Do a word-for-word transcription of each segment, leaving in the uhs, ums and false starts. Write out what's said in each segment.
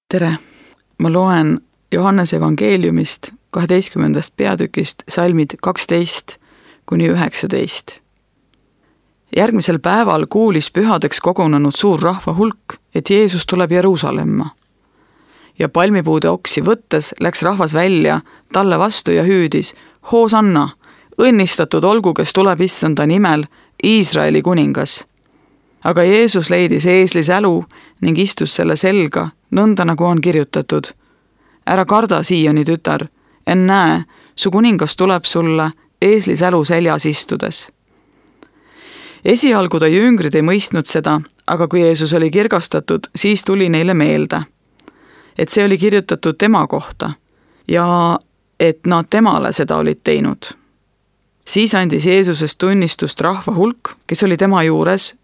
Tere! Ma loen Johannese evangeeliumist kaheteistkümnendast peatükist salmid kaksteist kuni üheksateist. Järgmisel päeval kuulis pühadeks kogunenud suur rahva hulk, et Jeesus tuleb Jeruusalemma. Ja palmipuude oksi võttes läks rahvas välja talle vastu ja hüüdis: Hoosanna, õnnistatud olgu, kes tuleb issanda nimel, Iisraeli kuningas. Aga Jeesus leidis eesli sälu ning istus selle selga, nõnda nagu on kirjutatud. Ära karda, Sioni tütar, ennäe, su kuningas tuleb sulle eesli sälu seljas istudes. Esialgu ta jüngrid ei mõistnud seda, aga kui Jeesus oli kirgastatud, siis tuli neile meelde, et see oli kirjutatud tema kohta ja et nad temale seda olid teinud. Siis andis Jeesusest tunnistust rahva hulk, kes oli tema juures,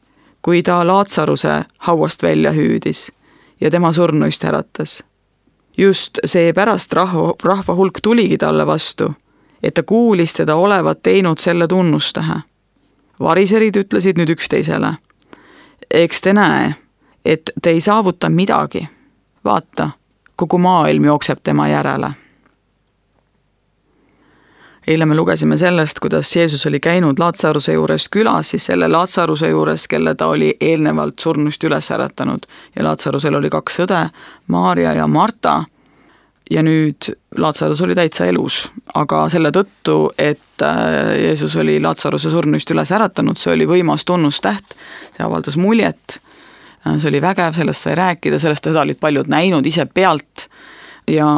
kui ta Laatsaruse hauast välja hüüdis ja tema surnuist äratas. Just see pärast rahva, rahva hulk tuligi talle vastu, et ta kuulis teda olevat teinud selle tunnustähe. Variserid ütlesid nüüd üksteisele: eks te näe, et te ei saavuta midagi. Vaata, kogu maailm jookseb tema järele. Eile me lugesime sellest, kuidas Jeesus oli käinud Laatsaruse juures külas, siis selle Laatsaruse juures, kelle ta oli eelnevalt surnust üles äratanud. Ja Laatsarusel oli kaks õde, Maarja ja Marta. Ja nüüd Laatsarus oli täitsa elus, aga selle tõttu, et Jeesus oli Laatsaruse surnust üles äratanud, see oli võimas tunnustäht, see avaldas muljet, see oli vägev, sellest sai rääkida, sellest seda olid paljud näinud ise pealt ja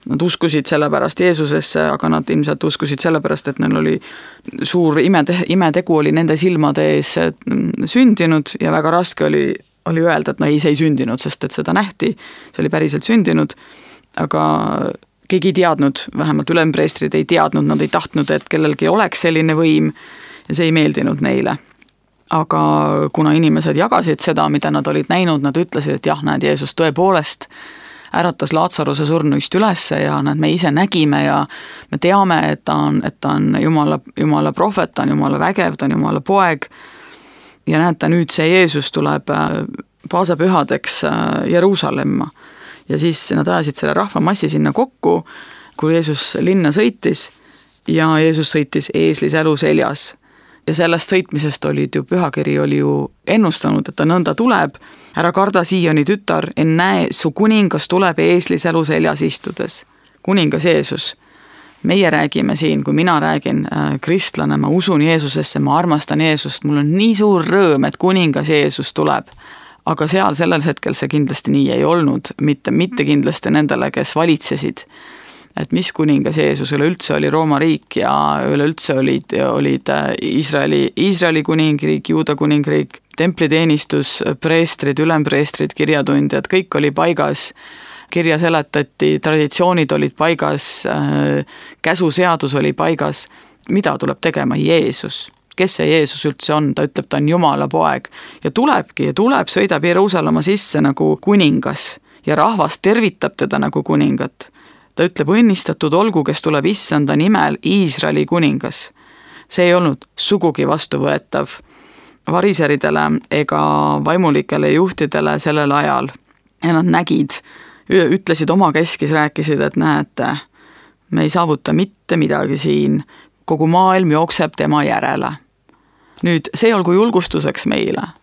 nad uskusid sellepärast Jeesusesse, aga nad ilmselt uskusid sellepärast, et neil oli suur imetegu, imetegu oli nende silmade ees sündinud ja väga raske oli, oli öelda, et no ei, see ei sündinud, sest et seda nähti, see oli päriselt sündinud, aga keegi ei teadnud, vähemalt ülempreestrid ei teadnud, nad ei tahtnud, et kellelgi oleks selline võim ja see ei meeldinud neile. Aga kuna inimesed jagasid seda, mida nad olid näinud, nad ütlesid, et jah, näed, Jeesus tõepoolest äratas Laatsaruse surnuist ülesse ja nad me ise nägime ja me teame, et ta on, et ta on Jumala, Jumala prohvet, ta on Jumala vägev, ta on Jumala poeg. Ja näete, nüüd see Jeesus tuleb paasapühadeks Jeruusalemma. Ja siis nad ajasid selle rahvamassi sinna kokku, kui Jeesus linna sõitis ja Jeesus sõitis eesli sälu seljas. Ja sellest sõitmisest olid ju, pühakiri oli ju ennustanud, et ta nõnda tuleb. Ära karda, Sioni tütar, ennäe, su kuningas tuleb eesli sälu seljas istudes. Kuningas Jeesus. Meie räägime siin, kui mina räägin äh, kristlane, ma usun Jeesusesse, ma armastan Jeesust, mul on nii suur rõõm, et kuningas Jeesus tuleb. Aga seal sellel hetkel see kindlasti nii ei olnud, mitte, mitte kindlasti nendele, kes valitsesid. Et mis kuningas Jeesus üleüldse oli Rooma riik ja üleüldse olid, olid Iisraeli, Iisraeli kuningriik, Juuda kuningriik, templiteenistus, preestrid, ülempreestrid, kirjatundjad, kõik oli paigas, kirja seletati, traditsioonid olid paigas, käsuseadus oli paigas. Mida tuleb tegema? Jeesus. Kes see Jeesus üldse on? Ta ütleb, ta on Jumala poeg ja tulebki ja tuleb, sõidab Jeruusalemma sisse nagu kuningas ja rahvas tervitab teda nagu kuningat. Ta ütleb, õnnistatud olgu, kes tuleb issanda nimel, Iisraeli kuningas. See ei olnud sugugi vastuvõetav variseridele ega vaimulikele juhtidele sellel ajal. Ja nad nägid, ütlesid oma keskis, rääkisid, et näete, me ei saavuta mitte midagi siin, kogu maailm jookseb tema järele. Nüüd, see olgu julgustuseks meile.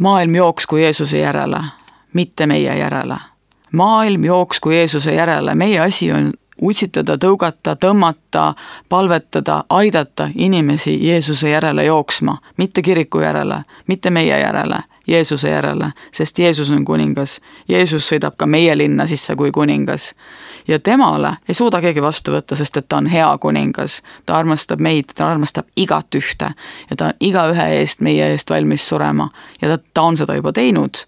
Maailm jooksku Jeesuse järele, mitte meie järele. Maailm jooksku Jeesuse järele, meie asi on utsitada, tõugata, tõmmata, palvetada, aidata inimesi Jeesuse järele jooksma, mitte kiriku järele, mitte meie järele, Jeesuse järele, sest Jeesus on kuningas. Jeesus sõidab ka meie linna sisse kui kuningas. Ja temale ei suuda keegi vastu võtta, sest et ta on hea kuningas. Ta armastab meid, ta armastab igat ühte ja ta on iga ühe eest meie eest valmis surema ja ta, ta on seda juba teinud.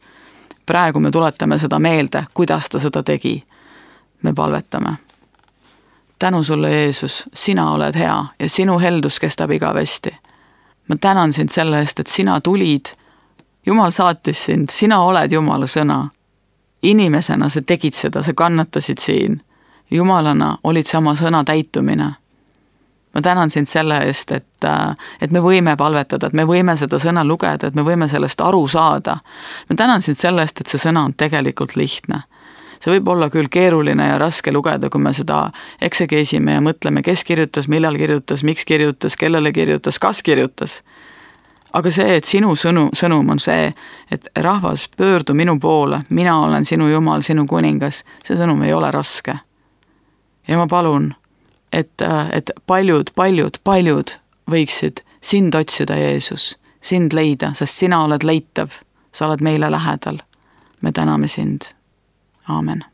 Praegu me tuletame seda meelde, kuidas ta seda tegi. Me palvetame. Tänu sulle, Jeesus, sina oled hea ja sinu heldus kestab igavesti. Ma tänan sind selle eest, et sina tulid. Jumal saatis sind, sina oled Jumala sõna. Inimesena sa tegid seda, sa kannatasid siin. Jumalana olid see oma sõna täitumine. ma tänan sind selle eest, et, et me võime palvetada, et me võime seda sõna lugeda, et me võime sellest aru saada. ma tänan sind selle eest, et see sõna on tegelikult lihtne. See võib olla küll keeruline ja raske lugeda, kui me seda eksegeesime ja mõtleme, kes kirjutas, millal kirjutas, miks kirjutas, kellele kirjutas, kas kirjutas. Aga see, et sinu sõnu, sõnum on see, et rahvas, pöördu minu poole, mina olen sinu Jumal, sinu kuningas, see sõnum ei ole raske. Ja ma palun, et, et paljud, paljud, paljud võiksid sind otsida, Jeesus, sind leida, sest sina oled leitav, sa oled meile lähedal. Me täname sind. Aamen.